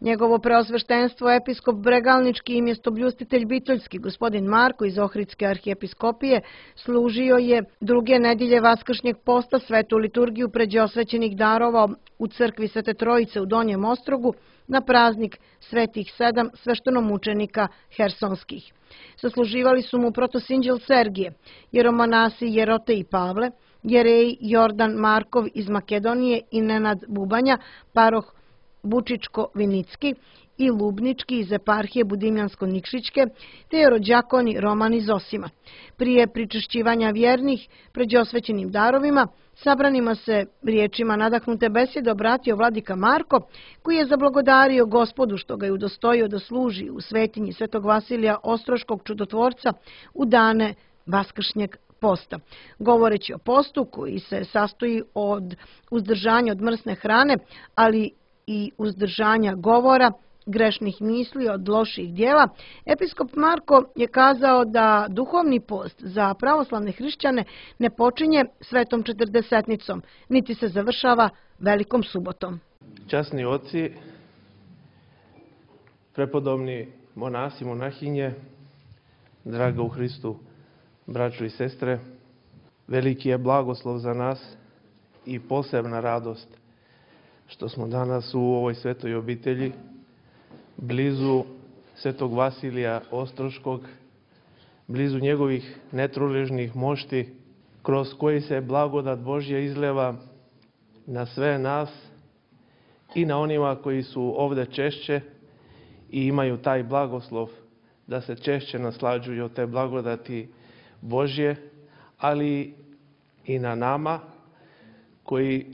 Njegovo preosveštenstvo episkop Bregalnički i mjestobljustitelj Bitoljski, gospodin Marko iz Ohridske arhijepiskopije, služio je druge nedjelje Vaskršnjeg posta svetu liturgiju pređe osvećenih darova u crkvi Svete Trojice u Donjem Ostrogu na praznik Svetih 7 sveštenomučenika hersonskih. Sasluživali su mu protosinđel Sergije, jeromonasi Jerote i Pavle, jerej Jordan Markov iz Makedonije i Nenad Bubanja, paroh Bučičko-Vinicki i Lubnički iz eparhije Budimljansko-Nikšićke, te jerođakoni Roman iz Osima. Prije pričešćivanja vjernih pređe osvećenim darovima, sabranima se riječima nadahnute besjede obratio vladika Marko, koji je zablagodario Gospodu što ga je udostojio da služi u svetinji Svetog Vasilija Ostroškog čudotvorca u dane Vaskršnjeg posta. Govoreći o postu koji se sastoji od uzdržanja od mrsne hrane, ali i uzdržanja govora, grešnih misli od loših djela, episkop Marko je kazao da duhovni post za pravoslavne hrišćane ne počinje svetom četrdesetnicom, niti se završava velikom subotom. Časni oci, prepodobni monasi, monahinje, draga u Hristu, braćo i sestre, veliki je blagoslov za nas i posebna radost što smo danas u ovoj svetoj obitelji, blizu Svetog Vasilija Ostroškog, blizu njegovih netruležnih mošti, kroz koji se blagodat Božja izleva na sve nas i na onima koji su ovde češće i imaju taj blagoslov da se češće naslađuju od te blagodati Božje, ali i na nama koji,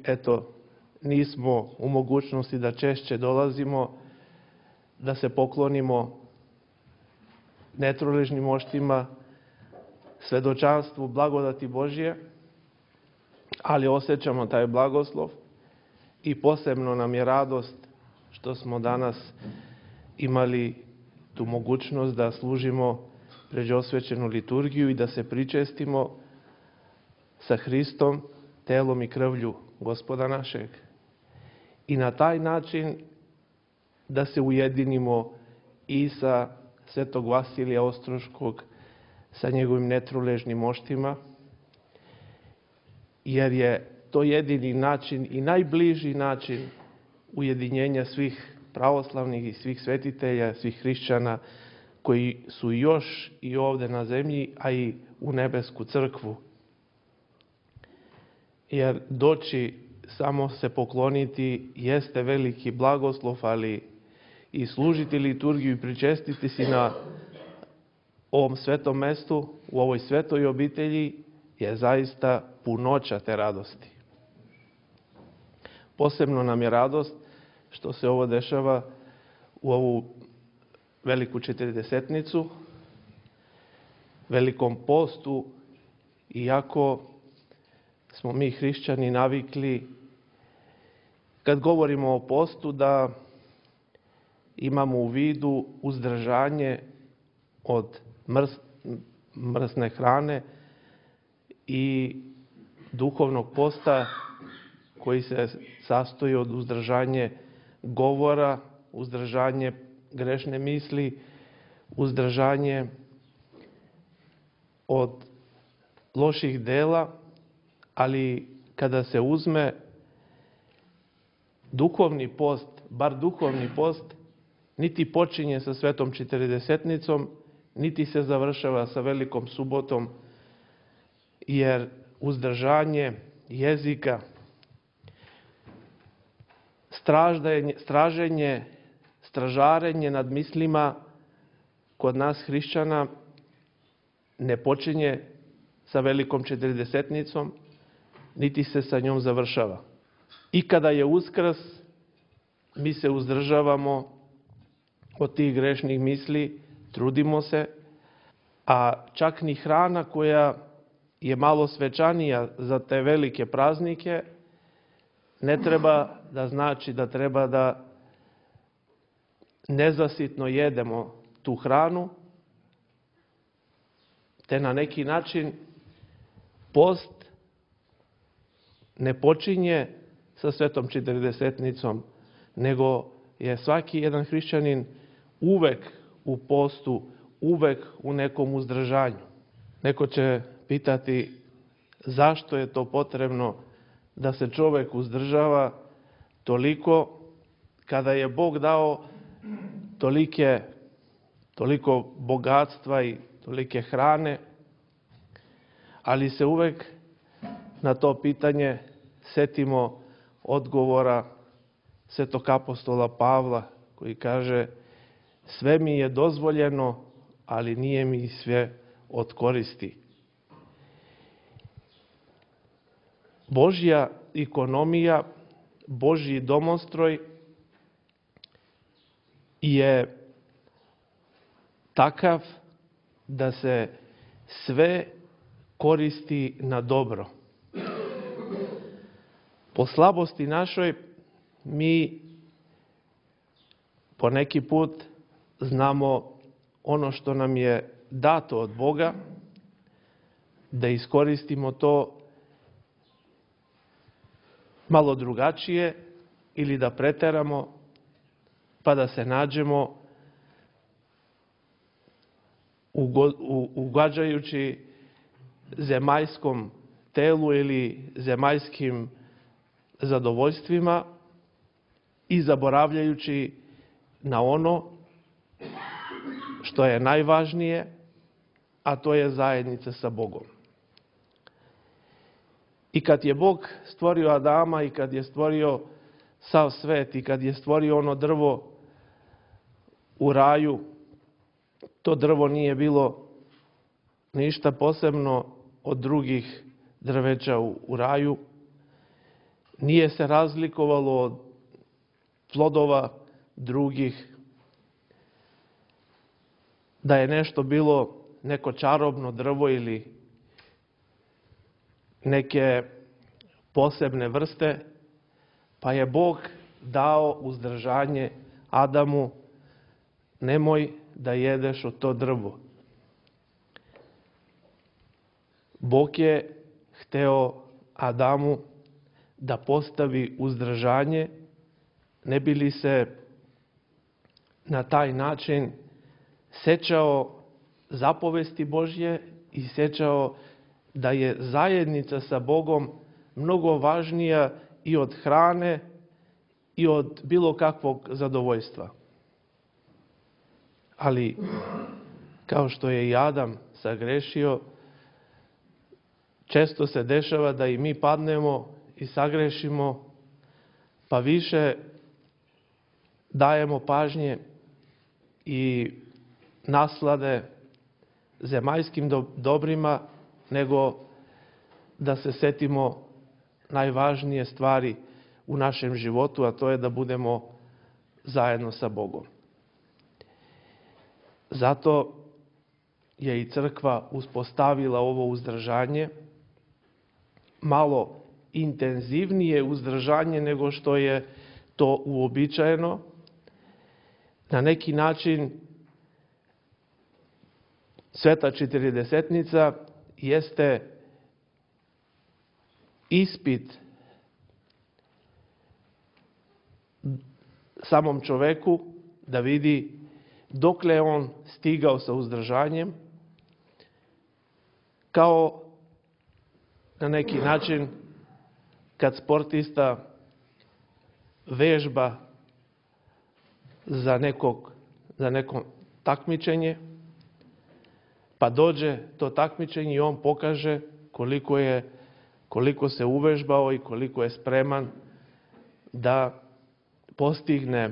nismo u mogućnosti da češće dolazimo, da se poklonimo netruležnim moštima, svedočanstvu blagodati Božje, ali osjećamo taj blagoslov i posebno nam je radost što smo danas imali tu mogućnost da služimo pređe osvećenu liturgiju i da se pričestimo sa Hristom, telom i krvlju Gospoda našeg. I na taj način da se ujedinimo i sa Svetog Vasilija Ostroškog, sa njegovim netruležnim moštima, jer je to jedini način i najbliži način ujedinjenja svih pravoslavnih i svih svetitelja, svih hrišćana koji su još i ovde na zemlji, a i u nebesku crkvu. Jer doći samo se pokloniti jeste veliki blagoslov, ali i služiti liturgiju i pričestiti si na ovom svetom mestu, u ovoj svetoj obitelji, je zaista punoća te radosti. Posebno nam je radost što se ovo dešava u ovu veliku četrdesetnicu, velikom postu, iako smo mi hrišćani navikli, kad govorimo o postu, da imamo u vidu uzdržanje od mrsne hrane i duhovnog posta koji se sastoji od uzdržanje govora, uzdržanje grešne misli, uzdržanje od loših dela, ali kada se uzme duhovni post, bar duhovni post, niti počinje sa svetom četrdesetnicom, niti se završava sa velikom subotom, jer uzdržanje jezika, stražarenje nad mislima kod nas hrišćana ne počinje sa velikom četrdesetnicom, niti se sa njom završava. I kada je Uskrs, mi se uzdržavamo od tih grešnih misli, trudimo se, a čak ni hrana koja je malo svečanija za te velike praznike, ne treba da znači da treba da nezasitno jedemo tu hranu, te na neki način post ne počinje sa svetom četrdesetnicom, nego je svaki jedan hrišćanin uvek u postu, uvek u nekom uzdržanju. Neko će pitati zašto je to potrebno da se čovek uzdržava toliko kada je Bog dao toliko bogatstva i tolike hrane, ali se uvek na to pitanje setimo odgovora svetog apostola Pavla koji kaže: sve mi je dozvoljeno, ali nije mi sve od koristi. Božja ekonomija, Božji domostroj je takav da se sve koristi na dobro. Po slabosti našoj mi poneki put znamo ono što nam je dato od Boga, da iskoristimo to malo drugačije ili da preteramo, pa da se nađemo ugađajući zemaljskom telu ili zemaljskim zadovoljstvima i zaboravljajući na ono što je najvažnije, a to je zajednica sa Bogom. I kad je Bog stvorio Adama i kad je stvorio sav svet i kad je stvorio ono drvo u raju, to drvo nije bilo ništa posebno od drugih drveća u raju. Nije se razlikovalo od plodova drugih. Da je nešto bilo neko čarobno drvo ili neke posebne vrste, pa je Bog dao uzdržanje Adamu: nemoj da jedeš od to drvo. Bog je hteo Adamu da postavi uzdržanje, ne bi li se na taj način sećao zapovesti Božje i sećao da je zajednica sa Bogom mnogo važnija i od hrane i od bilo kakvog zadovoljstva. Ali, kao što je i Adam sagrešio, često se dešava da i mi padnemo i sagrešimo, pa više dajemo pažnje i naslade zemaljskim dobrima, nego da se setimo najvažnije stvari u našem životu, a to je da budemo zajedno sa Bogom. Zato je i crkva uspostavila ovo uzdržanje, malo intenzivnije uzdržanje nego što je to uobičajeno. Na neki način Sveta Četiridesetnica jeste ispit samom čoveku da vidi dokle je on stigao sa uzdržanjem, kao na neki način kad sportista vežba za neko takmičenje, pa dođe to takmičenje i on pokaže koliko se uvežbao i koliko je spreman da postigne,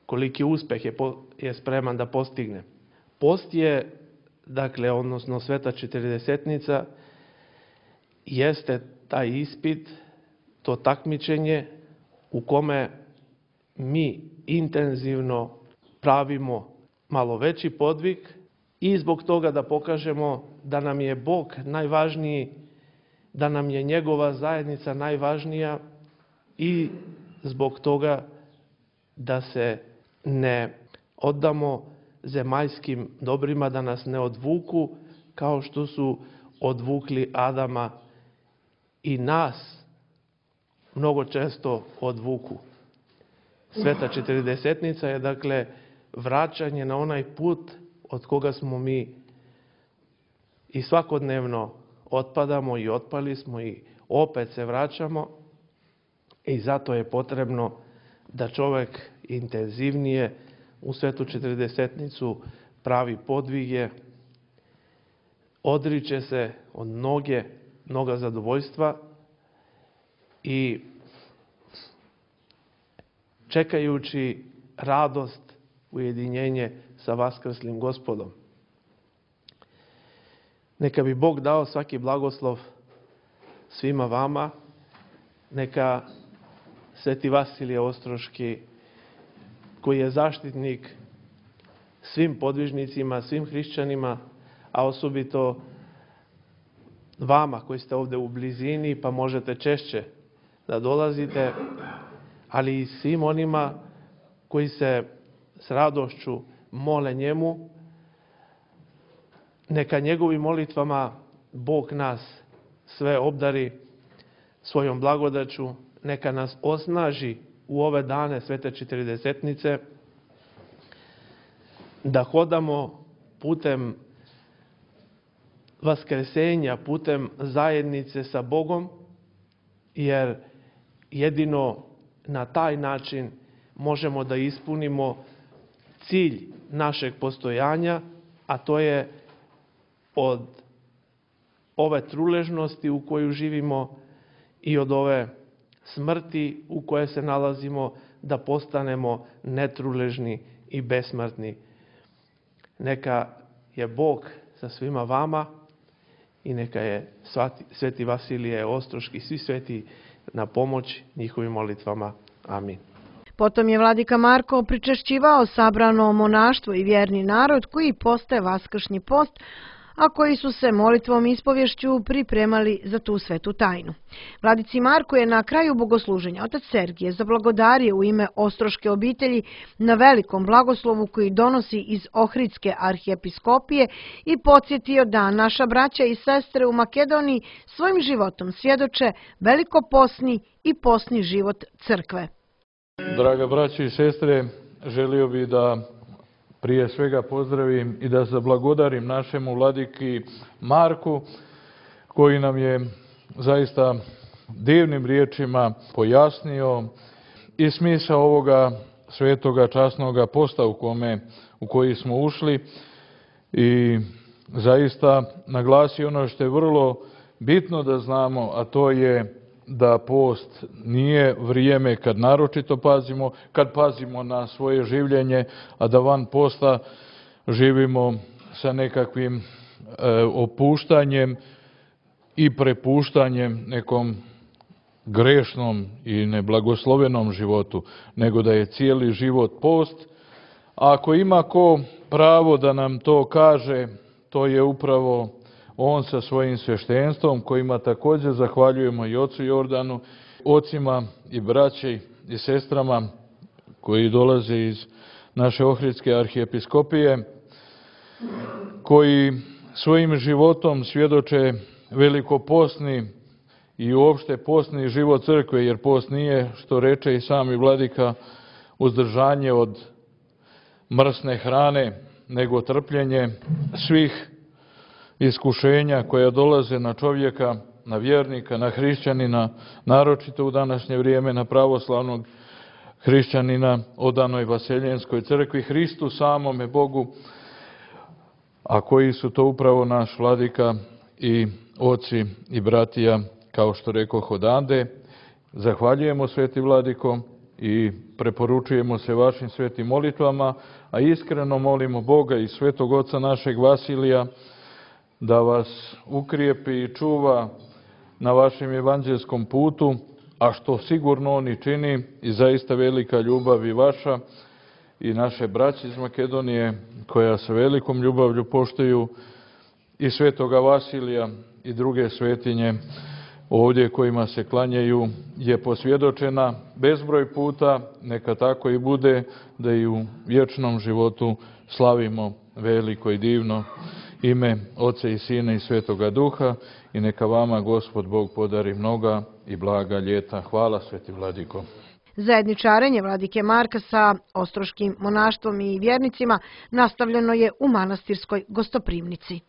koliki uspeh je spreman da postigne. Post je, odnosno Sveta Četiridesetnica, jeste taj ispit, to takmičenje u kome mi intenzivno pravimo malo veći podvig i zbog toga da pokažemo da nam je Bog najvažniji, da nam je njegova zajednica najvažnija i zbog toga da se ne oddamo zemaljskim dobrima, da nas ne odvuku kao što su odvukli Adama i nas mnogo često odvuku. Sveta četrdesetnica je dakle vraćanje na onaj put od koga smo mi i svakodnevno otpadamo i otpali smo i opet se vraćamo, i zato je potrebno da čovjek intenzivnije u Svetu četrdesetnicu pravi podvige, odriče se od mnoga zadovoljstva i čekajući radost, ujedinjenje sa vaskrslim Gospodom. Neka bi Bog dao svaki blagoslov svima vama, neka Sveti Vasilije Ostroški, koji je zaštitnik svim podvižnicima, svim hrišćanima, a osobito vama koji ste ovdje u blizini pa možete češće da dolazite, ali i svim onima koji se s radošću mole njemu, neka njegovim molitvama Bog nas sve obdari svojom blagodaću, neka nas osnaži u ove dane Svete četrdesetnice, da hodamo putem vaskresenja, putem zajednice sa Bogom, jer jedino na taj način možemo da ispunimo cilj našeg postojanja, a to je od ove truležnosti u koju živimo i od ove smrti u kojoj se nalazimo, da postanemo netruležni i besmrtni. Neka je Bog sa svima vama i neka je Sveti Vasilije Ostroški, svi sveti na pomoć njihovim molitvama. Amin. Potom je vladika Marko pričešćivao sabrano monaštvo i vjerni narod koji postaje vaskršnji post, a koji su se molitvom i ispovješću pripremali za tu svetu tajnu. Vladici Marko je na kraju bogosluženja otac Sergije zablagodario u ime Ostroške obitelji na velikom blagoslovu koji donosi iz Ohridske arhijepiskopije i podsjetio da naša braća i sestre u Makedoniji svojim životom svjedoče velikoposni i posni život crkve. Draga braći i sestre, želio bih da prije svega pozdravim i da zablagodarim našemu vladiki Marku, koji nam je zaista divnim riječima pojasnio i smisao ovoga svetoga časnoga posta u koji smo ušli, i zaista naglasio ono što je vrlo bitno da znamo, a to je da post nije vrijeme kad naročito pazimo, kad pazimo na svoje življenje, a da van posta živimo sa nekakvim opuštanjem i prepuštanjem nekom grešnom i neblagoslovenom životu, nego da je cijeli život post. A ako ima ko pravo da nam to kaže, to je upravo on sa svojim sveštenstvom, kojima također zahvaljujemo i ocu Jordanu, ocima i braći i sestrama koji dolaze iz naše Ohridske arhijepiskopije, koji svojim životom svjedoče velikoposni i uopšte posni život crkve, jer post nije, što reče i sami vladika, uzdržanje od mrsne hrane, nego trpljenje svih iskušenja koja dolaze na čovjeka, na vjernika, na hrišćanina, naročito u današnje vrijeme na pravoslavnog hrišćanina odanoj Vaseljenskoj crkvi, Hristu samome Bogu, a koji su to upravo naš vladika i oci i bratija, kao što rekoh odande. Zahvaljujemo, sveti vladiko, i preporučujemo se vašim svetim molitvama, a iskreno molimo Boga i svetog oca našeg Vasilija da vas ukrijepi i čuva na vašem evanđelskom putu, a što sigurno on i čini, i zaista velika ljubav i vaša i naše braće iz Makedonije, koja sa velikom ljubavlju poštuju i svetoga Vasilija i druge svetinje ovdje kojima se klanjaju, je posvjedočena bezbroj puta. Neka tako i bude, da i u vječnom životu slavimo veliko i divno ime Oca i Sina i Svetoga Duha, i neka vama Gospod Bog podari mnoga i blaga ljeta. Hvala, sveti vladiko. Zajedničarenje vladike Marka sa ostroškim monaštvom i vjernicima nastavljeno je u manastirskoj gostoprimnici.